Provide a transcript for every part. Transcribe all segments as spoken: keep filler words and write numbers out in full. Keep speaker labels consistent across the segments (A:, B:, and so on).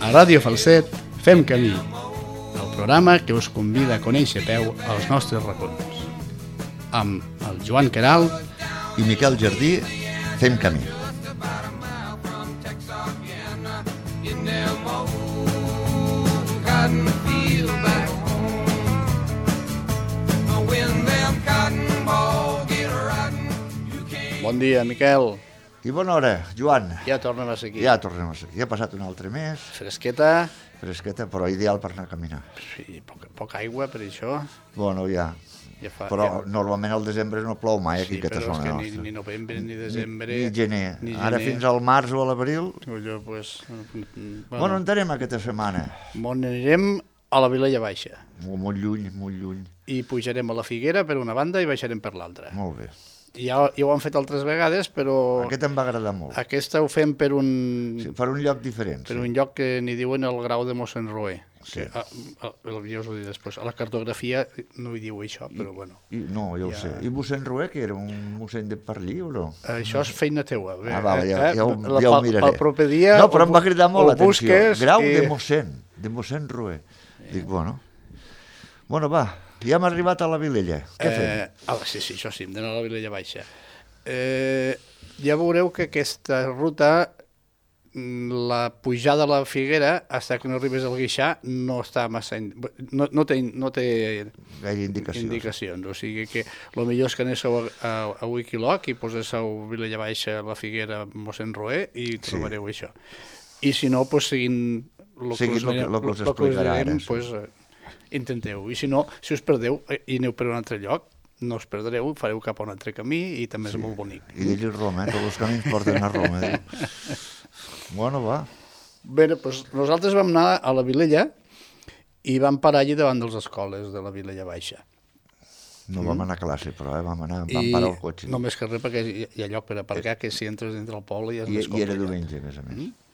A: A Ràdio Falset fem camí, el programa que us convida a conèixer a peu els nostres racons. Amb el Joan Queralt
B: i Miquel Jardí fem camí.
A: Bon dia, Miquel.
B: I bona hora, Joan.
A: Ja tornem a ser aquí.
B: Ja tornem a ser aquí. Ja ha passat un altre mes.
A: Fresqueta.
B: Fresqueta, però ideal per anar a caminar.
A: Sí, poca, poca aigua per això.
B: Bueno, ja.
A: Ja fa,
B: però
A: ja...
B: normalment al desembre no plou mai aquí,
A: sí,
B: aquesta zona
A: nostra.
B: nostra.
A: Ni, ni novembre, ni desembre...
B: Ni, ni gener.
A: Ni
B: Ara
A: gener.
B: fins al març o a l'abril...
A: Allò, pues, bueno,
B: bueno, on anem aquesta setmana?
A: On anirem a la Vilella Baixa.
B: Molt, molt lluny, molt lluny.
A: I pujarem a la Figuera per una banda i baixarem per l'altra.
B: Molt bé.
A: Ja, ja ho han fet altres vegades, però...
B: Aquest em va agradar molt.
A: Aquesta ho fem per un...
B: Sí, per un lloc diferent.
A: Per
B: sí.
A: un lloc que n'hi diuen el grau de mossèn Roé.
B: Sí.
A: Que, a, a, ja us ho diré després. A la cartografia no hi diu això, però bueno.
B: I, no, ja ho
A: ja...
B: sé. I mossèn Roé, que era un mossèn de per allí o no?
A: Això és feina teua.
B: Ah, va, ja, ja, ho,
A: la,
B: ja ho miraré.
A: El proper dia...
B: No, però em va cridar molt l'atenció. Grau
A: i...
B: de mossèn, de mossèn Roé. Sí. Dic, bueno... Bueno, va, ja hem arribat a la Vilella. Què fem?
A: Eh, ah, sí, sí, això sí, hem d'anar a la Vilella Baixa. Eh, ja veureu que aquesta ruta, la pujada a la Figuera, fins que no arribes al Guixà, no està massa... No, no té, no té
B: gaire indicacions.
A: indicacions. O sigui que el millor és que anéssiu a, a, a Wikiloc i poséssiu Vilella Baixa, la Figuera, mossèn Roé i trobareu sí. això. I si no, pues, seguint el que us,
B: lo que us explicarà ara.
A: Pues, intenteu. I si no, si us perdeu i aneu per un altre lloc, no us perdreu, fareu cap a un altre camí i també sí. és molt bonic.
B: I dir-li Roma, eh? Tots els camins porten a Roma. Eh? Bueno, va.
A: Bé, doncs nosaltres vam anar a la Vilella i vam parar allí davant de les escoles de la Vilella Baixa.
B: No vam anar a classe, però eh? vam anar, vam I parar el cotxe.
A: Només que res, perquè hi ha lloc per aparcar, que si entres dintre el poble ja és
B: I,
A: més complicat.
B: I era diumenge, a més a més. Mm?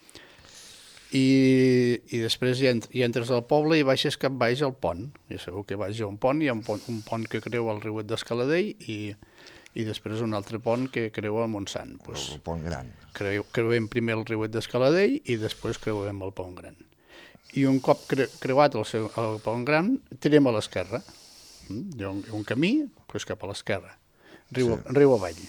A: I, i després ja, ent ja entres al poble i baixes cap baix al pont. Ja sabeu que baix hi ha un pont, hi ha un pont, un pont que creua el riuet d'Escaladell i, i després un altre pont que creua el Montsant. Pues,
B: el pont gran.
A: Creu, creuem primer el riuet d'Escaladell i després creuem el pont gran. I un cop cre creuat el, seu, el pont gran, tirem a l'esquerra. Mm? Hi ha un, un camí pues, cap a l'esquerra, riu, sí. riu avall.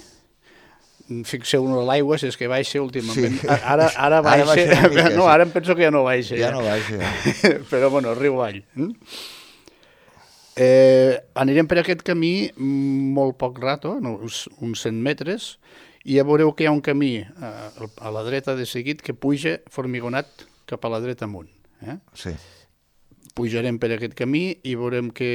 A: Fixeu-vos a l'aigua, si és que baixa últimament. Sí. Ara, ara baixa, ara baixa mica, no, ara em penso que ja no baixa.
B: Ja, ja. no baixa. Ja.
A: Però bueno, riu avall. Eh, anirem per aquest camí molt poc rato, uns, uns cent metres, i ja veureu que hi ha un camí a, a la dreta de seguit que puja formigonat cap a la dreta amunt. Eh?
B: Sí.
A: Pujarem per aquest camí i veurem que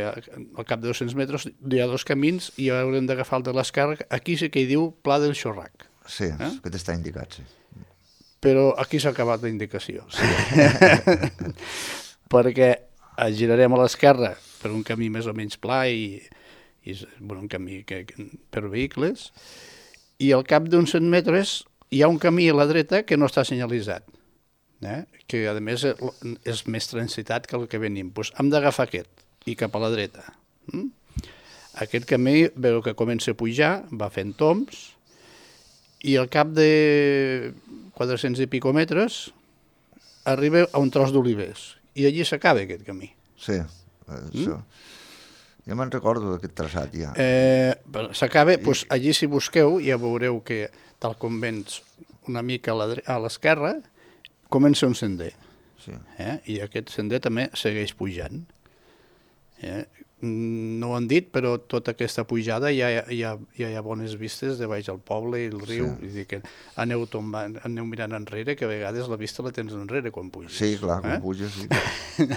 A: al cap de dos-cents metres hi ha dos camins i haurem d'agafar el de l'esquerra. Aquí sí que hi diu Pla del Xorrac.
B: Sí, eh? que t'està indicat, sí.
A: Però aquí s'ha acabat la indicació. Sí. Perquè girarem a l'esquerra per un camí més o menys pla i, i bueno, un camí que, que, per vehicles, i al cap d'uns cent metres hi ha un camí a la dreta que no està senyalitzat. Eh? Que a més és més transitat que el que venim. Pues hem d'agafar aquest i cap a la dreta. Mm? Aquest camí veu que comença a pujar, va fent tombs i al cap de quatre-cents i pico metres arriba a un tros d'olivers i allí s'acaba aquest camí.
B: Sí, això. Mm? Ja me'n recordo d'aquest traçat ja.
A: Eh, s'acaba, I... pues, allí si busqueu ja veureu que tal com vens una mica a l'esquerra comença un sender, sí. eh? I aquest sender també segueix pujant. Eh? No ho han dit, però tota aquesta pujada ja, ja, ja hi ha bones vistes de baix al poble i el riu. Sí. Dir que aneu, tombant, aneu mirant enrere, que a vegades la vista la tens enrere quan puges.
B: Sí, clar, quan
A: eh?
B: puges, sí.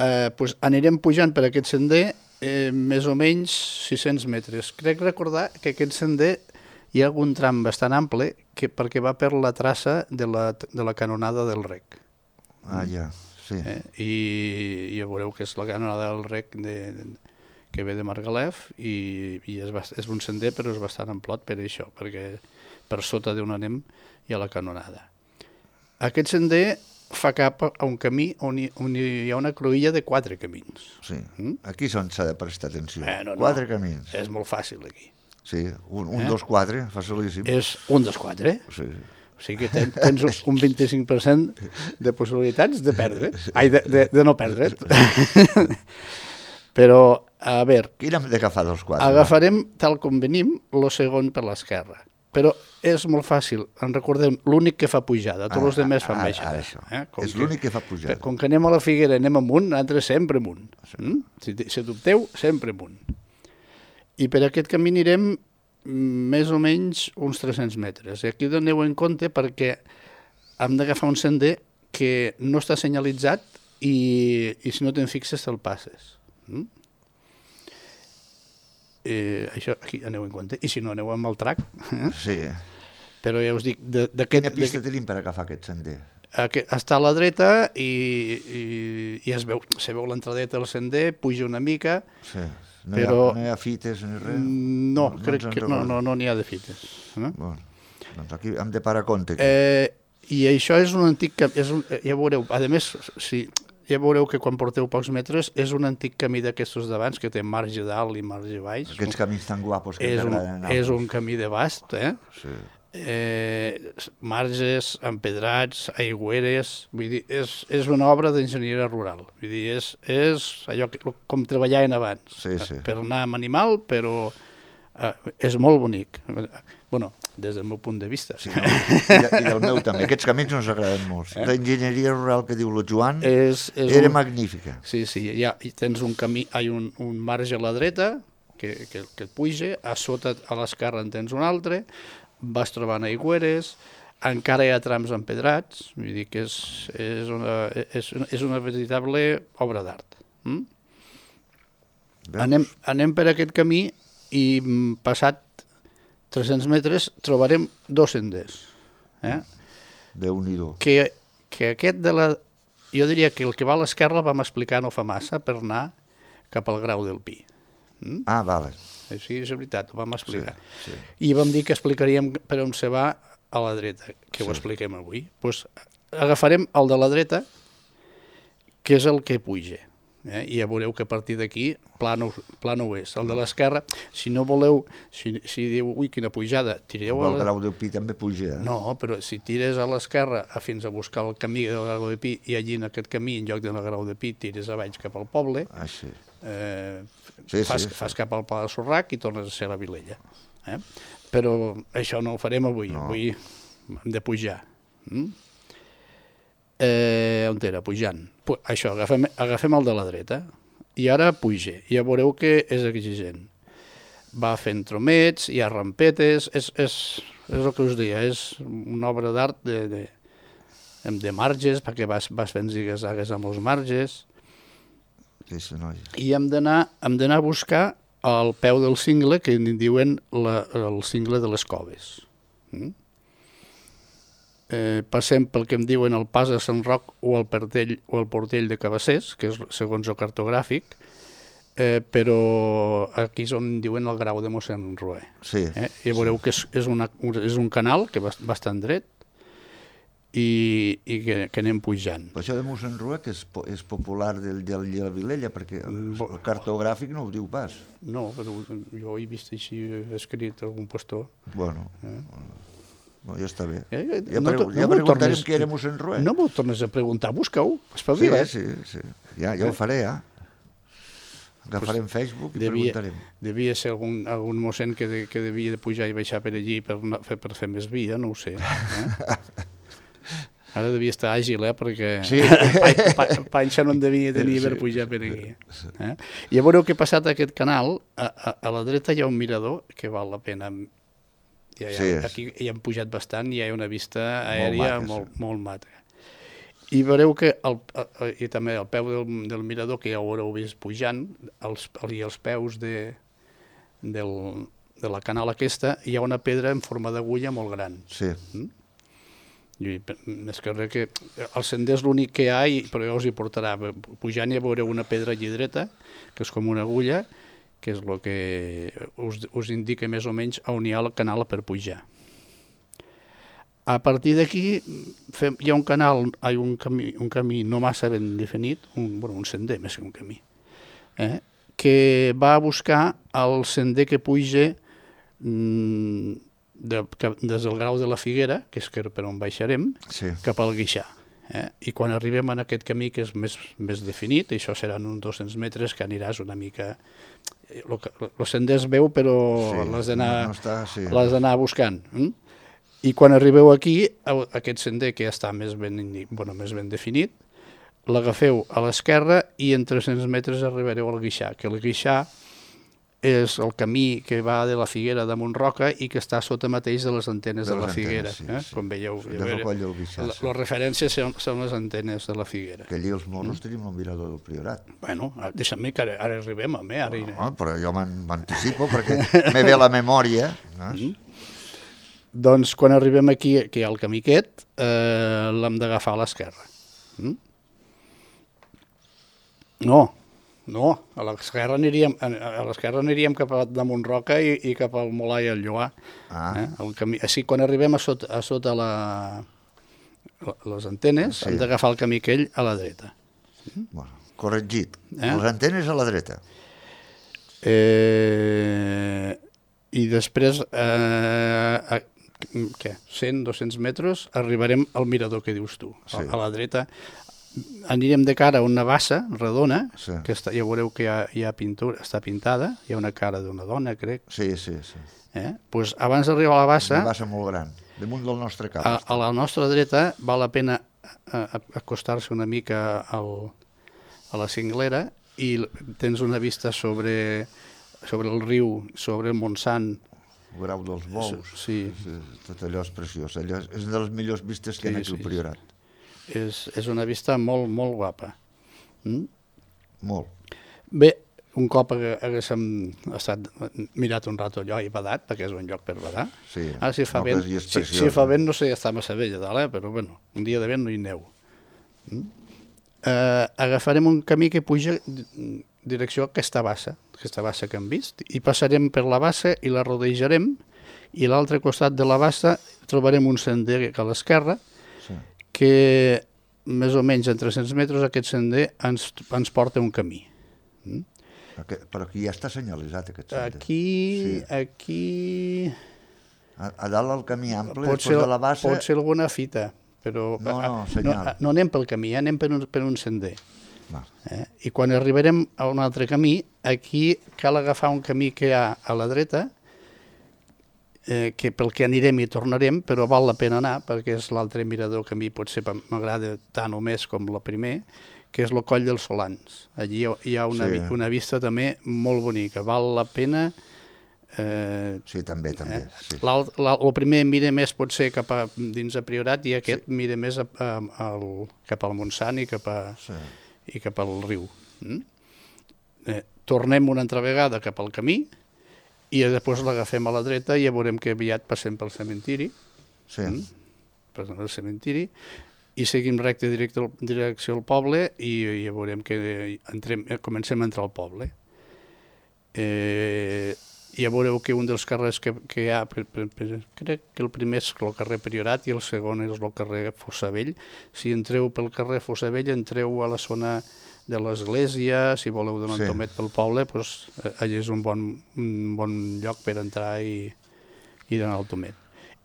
A: eh, pues anirem pujant per aquest sender eh, més o menys sis-cents metres. Crec recordar que aquest sender hi ha algun tram bastant ample que, perquè va per la traça de la, de la canonada del Rec.
B: Ah, ja, sí.
A: Eh? I, I ja veureu que és la canonada del Rec de, de, que ve de Margalef i, i és, bast, és un sender però és bastant amplot per això, perquè per sota d'on anem hi ha la canonada. Aquest sender fa cap a un camí on hi, on hi ha una cruïlla de quatre camins.
B: Sí, mm? Aquí és on s'ha de prestar atenció.
A: Eh, no,
B: quatre
A: no.
B: camins.
A: És molt fàcil aquí.
B: Sí, un, un
A: eh?
B: dos, quatre, facilíssim.
A: És un, dos, quatre.
B: Sí.
A: O sigui que ten, tens un vint-i-cinc per cent de possibilitats de perdre. Ai, de, de, de no perdre. Però, a veure...
B: Quin hem d'agafar dels quatre?
A: Agafarem, tal com venim, el segon per l'esquerra. Però és molt fàcil. En recordem, l'únic que fa pujada. Tots els altres fan baixada.
B: Eh? És l'únic que fa pujada.
A: Com que anem a la Figuera, anem amunt, nosaltres sempre amunt. Mm? Si, si dubteu, sempre amunt. I per aquest camí anirem més o menys uns tres-cents metres. I aquí doneu en compte perquè hem d'agafar un sender que no està senyalitzat i, i si no te'n fixes te'l passes. Mm? Eh, això aquí aneu en compte. I si no, aneu amb el trac. Eh?
B: Sí.
A: Però ja us dic... Quina
B: pista tenim per agafar aquest sender?
A: Aquest, està a la dreta i, i, i es veu, se veu l'entradeta del sender, puja una mica...
B: Sí. No,
A: però...
B: hi ha, no hi ha fites ni res?
A: No, no crec que no, no, no n'hi ha de fites. Eh?
B: Bueno, doncs aquí hem de parar compte.
A: Eh, I això és un antic... És un, ja veureu, a més, si... Ja veureu que quan porteu pocs metres és un antic camí d'aquestos d'abans que té marge dalt i marge baix.
B: Aquests camins tan guapos que
A: t'agraden anar. És un camí de bast, eh?
B: Sí.
A: Eh, marges, empedrats, aigüeres, vull dir, és, és una obra d'enginyeria rural. Vull dir, és, és allò que, com treballaven abans.
B: Sí, sí.
A: Per anar amb animal, però eh, és molt bonic. Bueno, des del meu punt de vista.
B: Sí, no? I, I del meu també. Aquests camins ens agraden molt. Eh? L'enginyeria rural que diu el Joan és, és era un... magnífica.
A: Sí, sí, ja tens un camí, hi ha un, un marge a la dreta que, que, que et puja, a sota a l'esquerra en tens un altre, vas trobant aigüeres, encara hi ha trams empedrats, vull dir que és, és, una, és, una, és una veritable obra d'art. Mm? Anem, anem per aquest camí i passat tres-cents metres trobarem dos senders. Eh?
B: Déu-n'hi-do.
A: Que, que aquest de la... Jo diria que el que va a l'esquerra vam explicar no fa massa per anar cap al Grau del Pi. Mm?
B: Ah, vale.
A: Sí, és veritat, ho vam explicar.
B: Sí, sí.
A: I vam dir que explicaríem per on se va a la dreta, que sí. Ho expliquem avui. Pues agafarem el de la dreta, que és el que puja. Eh? I ja veureu que a partir d'aquí plano, plano és. El de l'esquerra, si no voleu, si, si diu, ui, quina pujada, tireu...
B: El Grau del Pi també puja. Eh?
A: No, però si tires a l'esquerra fins a buscar el camí del Grau del Pi i allí en aquest camí, en lloc del Grau del Pi, tires a baix cap al poble,
B: ah, sí.
A: eh,
B: sí,
A: fas,
B: sí, sí.
A: fas cap al Pla de Sorrac i tornes a ser a la Vilella. Eh? Però això no ho farem avui, no. Avui hem de pujar. Mm? Eh, on era? Pujant. Pu això, agafem, agafem el de la dreta i ara puja. Ja veureu que és exigent. Va fent tromets, hi ha rampetes, és, és, és el que us deia, és una obra d'art de, de, de marges, perquè vas, vas fent zigues-zagues amb els marges.
B: Sí, sí, no.
A: I hem d'anar hem d'anar a buscar al peu del cingle, que en diuen la, el cingle de les Coves. Mm? Eh, passem pel que em diuen el Pas de Sant Roc o el Portell, o el Portell de Cabassers, que és segons el cartogràfic, eh, però aquí és on diuen el Grau de mossèn Roé.
B: Sí.
A: Eh? I veureu que és, és, una, és un canal que va bastant dret i, i que, que anem pujant.
B: Però això de mossèn Roé, que és, és popular del, del de la Vilella, perquè el, el cartogràfic no ho diu pas.
A: No, però jo he vist així escrit algun pastor.
B: Bueno... Eh? No, ja està bé.
A: Eh,
B: ja
A: no,
B: pre
A: no
B: ja preguntarem
A: tornes,
B: què era mossèn Roé.
A: No m'ho tornes a preguntar, busca-ho, espavila't.
B: Sí, sí, sí. Ja, ja ho faré, ja. Agafarem pues Facebook i devia, preguntarem.
A: Devia ser algun, algun mossèn que, de, que devia de pujar i baixar per allí per, fer, per fer més via, no ho sé. Eh? Ara devia estar àgil, eh, perquè sí. Panxa no en devia tenir sí, per pujar per aquí. Eh? I ja veureu que passat aquest canal, a, a, a la dreta hi ha un mirador que val la pena. Ja, ja, sí, aquí hi hem pujat bastant i hi ha una vista aèria molt, molt, molt mata. I veureu que el, i també al peu del, del mirador, que ja ho haureu vist pujant, els, i els peus de, del, de la canal aquesta, hi ha una pedra en forma d'agulla molt gran.
B: Sí.
A: Mm? I, més que res que el sender és l'únic que hi ha, i, però ja us hi portarà. Pujant ja veureu una pedra allí dreta, que és com una agulla, que és el que us, us indica més o menys on hi ha el canal per pujar. A partir d'aquí hi ha un canal, hi ha un camí, un camí no massa ben definit, un, bueno, un sender més que un camí, eh, que va a buscar el sender que puja mm, de, que, des del Grau de la Figuera, que és per on baixarem,
B: Sí.
A: cap al Guixà. Eh? I quan arribem en aquest camí que és més, més definit, això seran uns dos-cents metres que aniràs una mica... El sender es veu, però
B: Sí,
A: l'has d'anar
B: no- no està, sí.
A: l'has d'anar buscant. Mm? I quan arribeu aquí, a- aquest sender que ja està més ben, indi- bueno, més ben definit, l'agafeu a l'esquerra i en tres-cents metres arribareu al Guixà, que el Guixà és el camí que va de la Figuera de Montroca i que està sota mateix de les antenes de,
B: De
A: la
B: les
A: Figuera.
B: antenes, sí,
A: eh?
B: sí.
A: Com veieu,
B: Sí,
A: ja
B: del
A: veure,
B: coll del Guixà,
A: la-
B: sí.
A: les referències són, són les antenes de la Figuera.
B: Que allí els monos tenim el mirador del Priorat.
A: Bueno, deixa'm que ara, ara arribem, home, ara...
B: No, però jo m'an- m'anticipo perquè me ve la memòria. No?
A: Doncs quan arribem aquí, que hi ha el camí aquest, eh, l'hem d'agafar a l'esquerra. Mm? No, no, a l'esquerra aniríem, a a l'esquerra aniríem cap a de Montroca i, i cap al Molar i al Lloar.
B: Ah.
A: Eh? El camí, així, quan arribem a sota, a sota la, la, les antenes,
B: Sí.
A: hem d'agafar el camí aquell a la dreta.
B: Bueno, corregit.
A: Eh?
B: Les antenes a la dreta.
A: Eh, I després, eh, a, què, cent, dos-cents metres, arribarem al mirador que dius tu,
B: Sí.
A: a, a la dreta. Anirem de cara a una bassa redona,
B: Sí.
A: que està, ja veureu que hi ha, hi ha pintura, està pintada, hi ha una cara d'una dona, crec.
B: Sí, sí, sí.
A: Eh? Pues abans d'arribar a la bassa,
B: Una bassa molt gran, damunt del nostre cap.
A: a, a la nostra dreta val la pena a- a- acostar-se una mica al, a la cinglera i l- tens una vista sobre, sobre el riu, sobre el Montsant.
B: El Grau dels Bous.
A: Sí.
B: Sí, tot allò és preciós. Allò és és una de les millors vistes que hi ha
A: Sí,
B: aquí al
A: sí,
B: Priorat.
A: És, és una vista molt, molt guapa. Mm?
B: Molt.
A: Bé, un cop hagué- haguéssim estat mirat un rato allò i badat, perquè és un lloc per badar.
B: Sí.
A: Ara, si fa
B: No,
A: vent,
B: però sí és
A: si,
B: preciós,
A: si fa
B: eh?
A: vent no sé, està massa bé allà dalt, eh? Però bueno, un dia de vent no hi aneu. Mm? Eh, agafarem un camí que puja di- direcció a aquesta bassa, aquesta bassa que hem vist, i passarem per la bassa i la rodejarem, i a l'altre costat de la bassa trobarem un sender a l'esquerra,
B: Sí.
A: que més o menys en tres-cents metres aquest sender ens, ens porta un camí.
B: Aquest, però aquí ja està senyalitzat aquest sender.
A: Aquí,
B: Sí.
A: aquí...
B: A, a dalt el camí ample,
A: Pot
B: després
A: ser,
B: de la bassa...
A: pot ser alguna fita, però
B: No, no,
A: no,
B: senyal.
A: no anem pel camí, anem per un, per un sender.
B: Va.
A: Eh? I quan arribarem a un altre camí, aquí cal agafar un camí que hi ha a la dreta, eh, que pel que anirem i tornarem, però val la pena anar, perquè és l'altre mirador que a mi potser m'agrada tant o més com el primer, que és el Coll dels Solans. Allí hi ha una,
B: Sí.
A: sí. una vista també molt bonica, val la pena... Eh,
B: Sí, també, també. Sí.
A: L'alt- l'alt- el primer mira més potser cap a dins a Priorat i aquest sí. mira més a, a, al, cap al Montsant i cap, a,
B: Sí.
A: i cap al riu. Mm? Eh, tornem una altra vegada cap al camí i després l'agafem a la dreta i ja veurem que aviat passem pel cementiri,
B: Sí.
A: Mm? passem pel cementiri i seguim recte directe al, direcció al poble i ja veurem que entrem, eh, comencem a entrar al poble. Eh, ja veureu que un dels carrers que, que hi ha, per, per, per, crec que el primer és el carrer Priorat i el segon és el carrer Fossavell. Si entreu pel carrer Fossavell, entreu a la zona de l'església, si voleu donar
B: Sí.
A: un tomet pel poble, doncs, allà és un bon, un bon lloc per entrar i, i donar el tomet.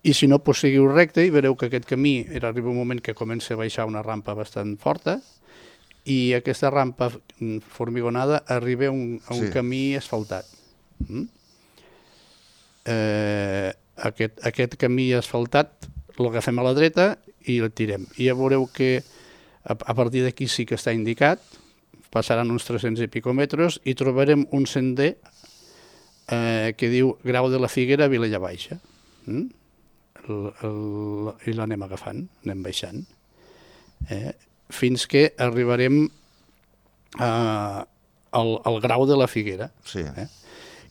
A: I si no, doncs seguiu recte i veureu que aquest camí era, arriba un moment que comença a baixar una rampa bastant forta i aquesta rampa mm, formigonada arriba a un, a un
B: Sí.
A: camí asfaltat. Mm? Eh, aquest, aquest camí asfaltat l'agafem a la dreta i el tirem. I ja veureu que a, a partir d'aquí sí que està indicat, passaran uns tres-cents i pico metres i trobarem un sender eh, que diu Grau de la Figuera, Vilella Baixa. Mm? El, el, I l'anem agafant, anem baixant. Eh? Fins que arribarem a, al, al Grau de la Figuera.
B: Sí.
A: Eh?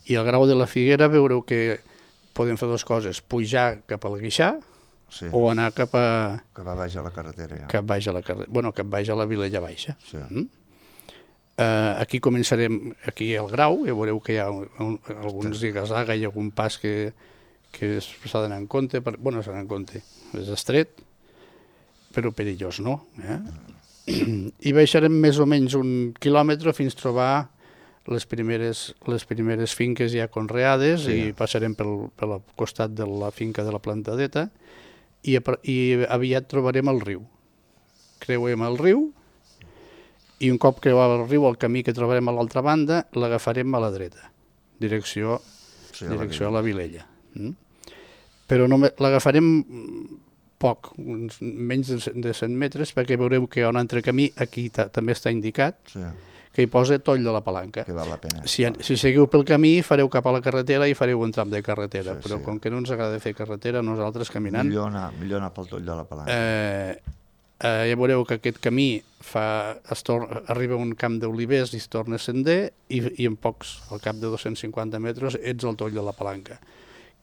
A: I al Grau de la Figuera veureu que podem fer dues coses, pujar cap al Guixà
B: Sí.
A: o anar cap a,
B: Que va baix a la carretera, ja.
A: cap baix a la carrer, bueno, cap baix a la Vilella Baixa.
B: Sí.
A: Mm? Uh, aquí començarem, aquí al Grau, ja veureu que hi ha un, un, alguns zigazaga i algun pas que, que s'ha d'anar en compte, per, bueno, s'ha d'anar en compte, és estret, però perillós no. Eh? I baixarem més o menys un quilòmetre fins trobar les primeres, les primeres finques ja conreades
B: Sí.
A: i passarem pel, pel costat de la finca de la Plantadeta i, a- i aviat trobarem el riu. Creuem el riu i un cop creuat el riu, el camí que trobarem a l'altra banda, l'agafarem a la dreta, direcció,
B: Sí, a la
A: direcció a la Vilella. Mm? Però només l'agafarem poc, uns menys de cent- de cent metres, perquè veureu que hi ha un altre camí, aquí ta, també està indicat,
B: Sí,
A: que hi posa Toll de la Palanca.
B: que val la pena.
A: Si, si seguiu pel camí, fareu cap a la carretera i fareu un tram de carretera,
B: Sí,
A: però
B: sí.
A: com que no ens agrada fer carretera, nosaltres caminant...
B: Millor anar, millor anar pel Toll de la Palanca.
A: Eh, eh, ja veureu que aquest camí fa, es torna, arriba a un camp d'olivers i es torna a sender i, i en pocs, al cap de dos-cents cinquanta metres, ets al Toll de la Palanca,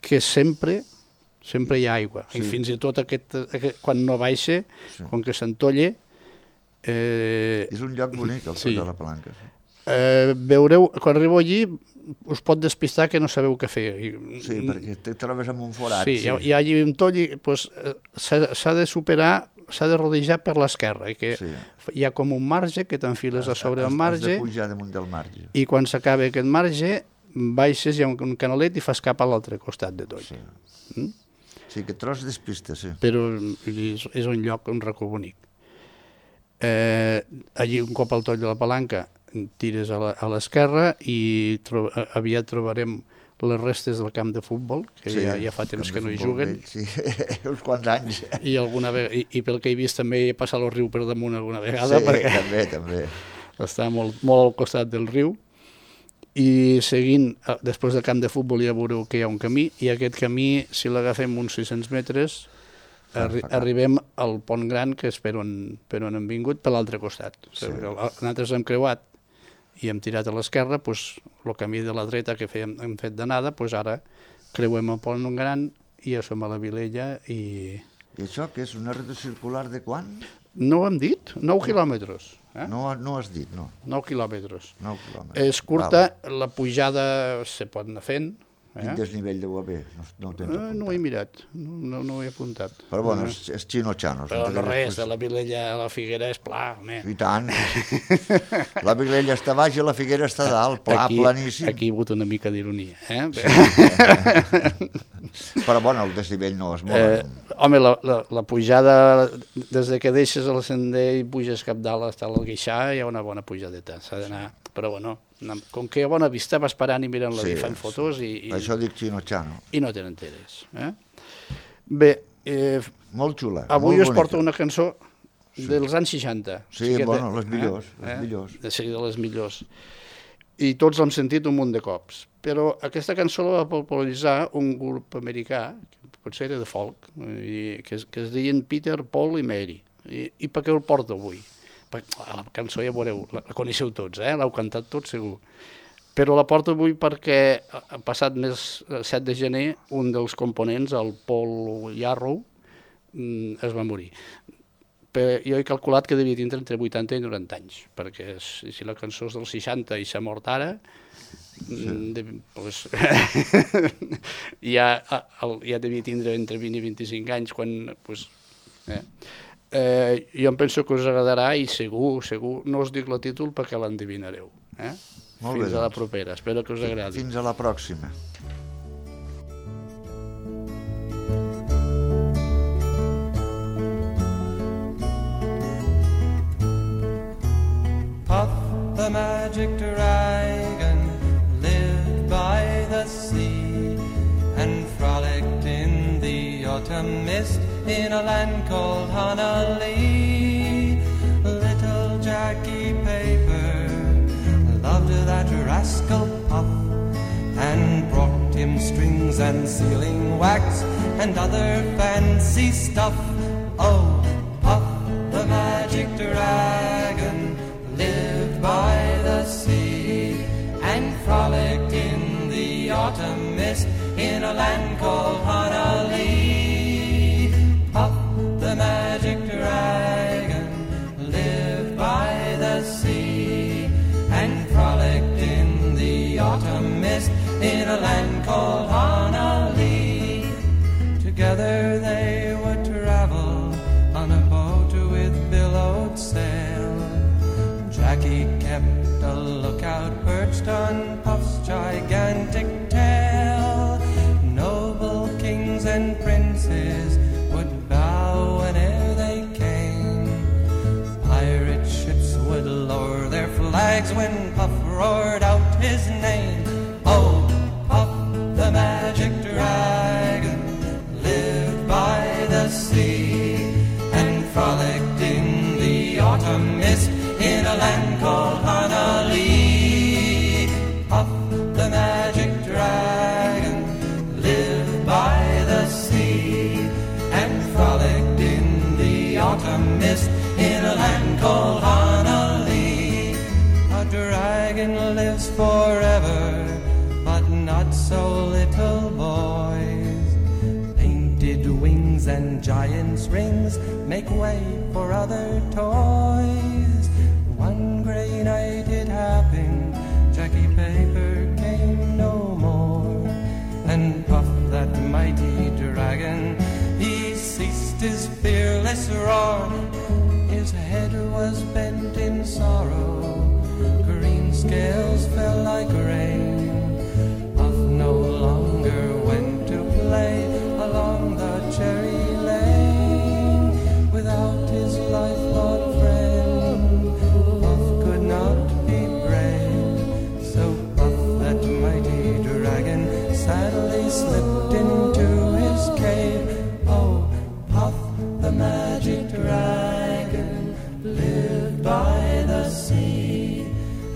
A: que sempre sempre hi ha aigua.
B: Sí.
A: I fins i tot aquest, aquest, quan no baixa,
B: Sí.
A: com que s'entolla, eh,
B: És un lloc bonic, el Toll
A: sí.
B: de la Palanca. Sí.
A: eh, veureu, quan arribeu allí, us pot despistar que no sabeu què fer. I,
B: Sí, perquè te trobes amb un forat.
A: Sí, hi ha, hi ha allí un toll i pues, eh, s'ha s'ha de superar, s'ha de rodejar per l'esquerra, i que
B: Sí.
A: hi ha com un marge que t'enfiles a sobre el
B: Has- Has
A: marge
B: de pujar damunt del marge.
A: i quan s'acaba aquest marge baixes, hi ha un, un canalet i fas cap a l'altre costat de toll.
B: Sí.
A: Mm?
B: Sí, que tros despista, sí.
A: Però és, és un lloc, un racó bonic. Eh, allí un cop al Toll de la Palanca tires a la- a l'esquerra i tro aviat trobarem les restes del camp de futbol, que
B: Sí,
A: ja, ja fa temps
B: camp
A: que
B: de
A: no hi
B: futbol
A: juguen.
B: vell, Sí, uns quants anys.
A: I, alguna ve i, i pel que he vist també he passat el riu per damunt alguna vegada,
B: Sí,
A: perquè
B: també, també.
A: està molt, molt al costat del riu. I seguint, eh, després del camp de futbol ja veureu que hi ha un camí, i aquest camí, si l'agafem uns sis-cents metres, arri
B: fa cap.
A: arribem al pont gran, que és per on, per on hem vingut, per l'altre costat.
B: Sí.
A: Sí. Nosaltres hem creuat i hem tirat a l'esquerra, doncs, el camí de la dreta que fèiem, hem fet d'anada, doncs ara creuem el pont gran i ja som a la Vilella i...
B: I això que és una ruta circular de quan?
A: No ho hem dit? nou quilòmetres. Eh?
B: No, no has dit, no.
A: nou quilòmetres.
B: nou quilòmetres.
A: És curta, val. La pujada se pot anar fent.
B: Quin
A: Eh?
B: desnivell deu haver? No, no ho tens
A: Eh,
B: apuntat.
A: no ho he mirat, no, no, no ho he apuntat.
B: Però bueno,
A: Eh,
B: és, és xino-xanos.
A: Però no
B: encara
A: res,
B: després-
A: de la Vilella a la Figuera és pla, home.
B: I tant. La Vilella està baix i la Figuera està dalt, pla,
A: aquí,
B: planíssim.
A: Aquí hi ha hagut una mica d'ironia. Eh?
B: Però bueno, el desnivell no és molt...
A: Eh, home, la, la, la pujada, des de que deixes el sender i puges cap dalt hasta l'Alguixà, hi ha una bona pujadeta, s'ha d'anar... Però bueno, com que hi ha bona vista, vas parant i mirant la
B: Sí,
A: sí, fan fotos i, i,
B: Això dic xino-xano.
A: i no te n'enteres. Eh? Bé, eh,
B: Molt xula,
A: avui
B: molt
A: us porto
B: bonica.
A: una cançó dels anys seixanta.
B: Sí,
A: que
B: bueno,
A: té-
B: les millors, les millors.
A: De seguir de les millors. I tots l'hem sentit un munt de cops. Però aquesta cançó la va popularitzar un grup americà, que potser era de folk, i que, es, que es deien Peter, Paul i Mary. I, i per què el porto avui? Perquè la cançó ja veureu, la, la coneixeu tots, eh? L'heu cantat tots segur. Però la porto avui perquè ha passat més el set de gener un dels components, el Paul Yarrow, es va morir. Però jo he calculat que devia tindre entre vuitanta i noranta anys, perquè si la cançó és del seixanta i s'ha mort ara, sí. de, pues, ja, ja devia tindre entre vint i vint-i-cinc anys quan... Pues, eh. Eh, jo em penso que us agradarà i segur, segur, no us dic el títol perquè l'endevinareu. Eh?
B: Molt
A: Fins
B: bé,
A: a la
B: doncs.
A: propera, espero que us agradi.
B: Fins a la pròxima.
C: Puff the magic dragon lived by the sea and frolicked in the autumn mist in a land called Honolulu. Little Jackie Paper loved that rascal Puff and brought him strings and sealing wax and other fancy stuff. Oh, Puff the magic dragon lived by the sea and frolicked in the autumn mist in a land called Honolulu. Puff the magic dragon lived by the sea and frolicked in the autumn mist in a land called Honolulu. Together they would travel on a boat with billowed sail. Jackie kept a lookout crowd perched on Puff's gigantic tail. Noble kings and princes would bow whene'er they came. Pirate ships would lower their flags when Puff roared out his name. Oh, Puff the magic dragon lived by the sea and frolicked in the autumn mist in a land called Hanali. Puff the magic dragon lived by the sea and frolicked in the autumn mist in a land called Hanali. A dragon lives forever, but not so little boys. Painted wings and giant's rings make way for other toys. One gray night it happened, Jackie Paper came no more, and Puff, that mighty dragon, he ceased his fearless roar. His head was bent in sorrow, green scales fell like rain. Puff no longer went to play along the cherry lane without his lifelong friend. Puff could not be brave, so Puff, that mighty dragon, sadly slipped into his cave. Oh, Puff the magic dragon lived by the sea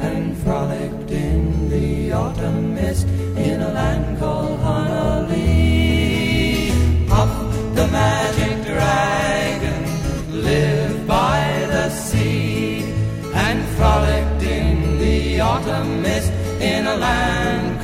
C: and frolicked in the autumn mist in a land called Hanali. Puff the magic dragon lived by the sea and frolicked in the autumn mist in a land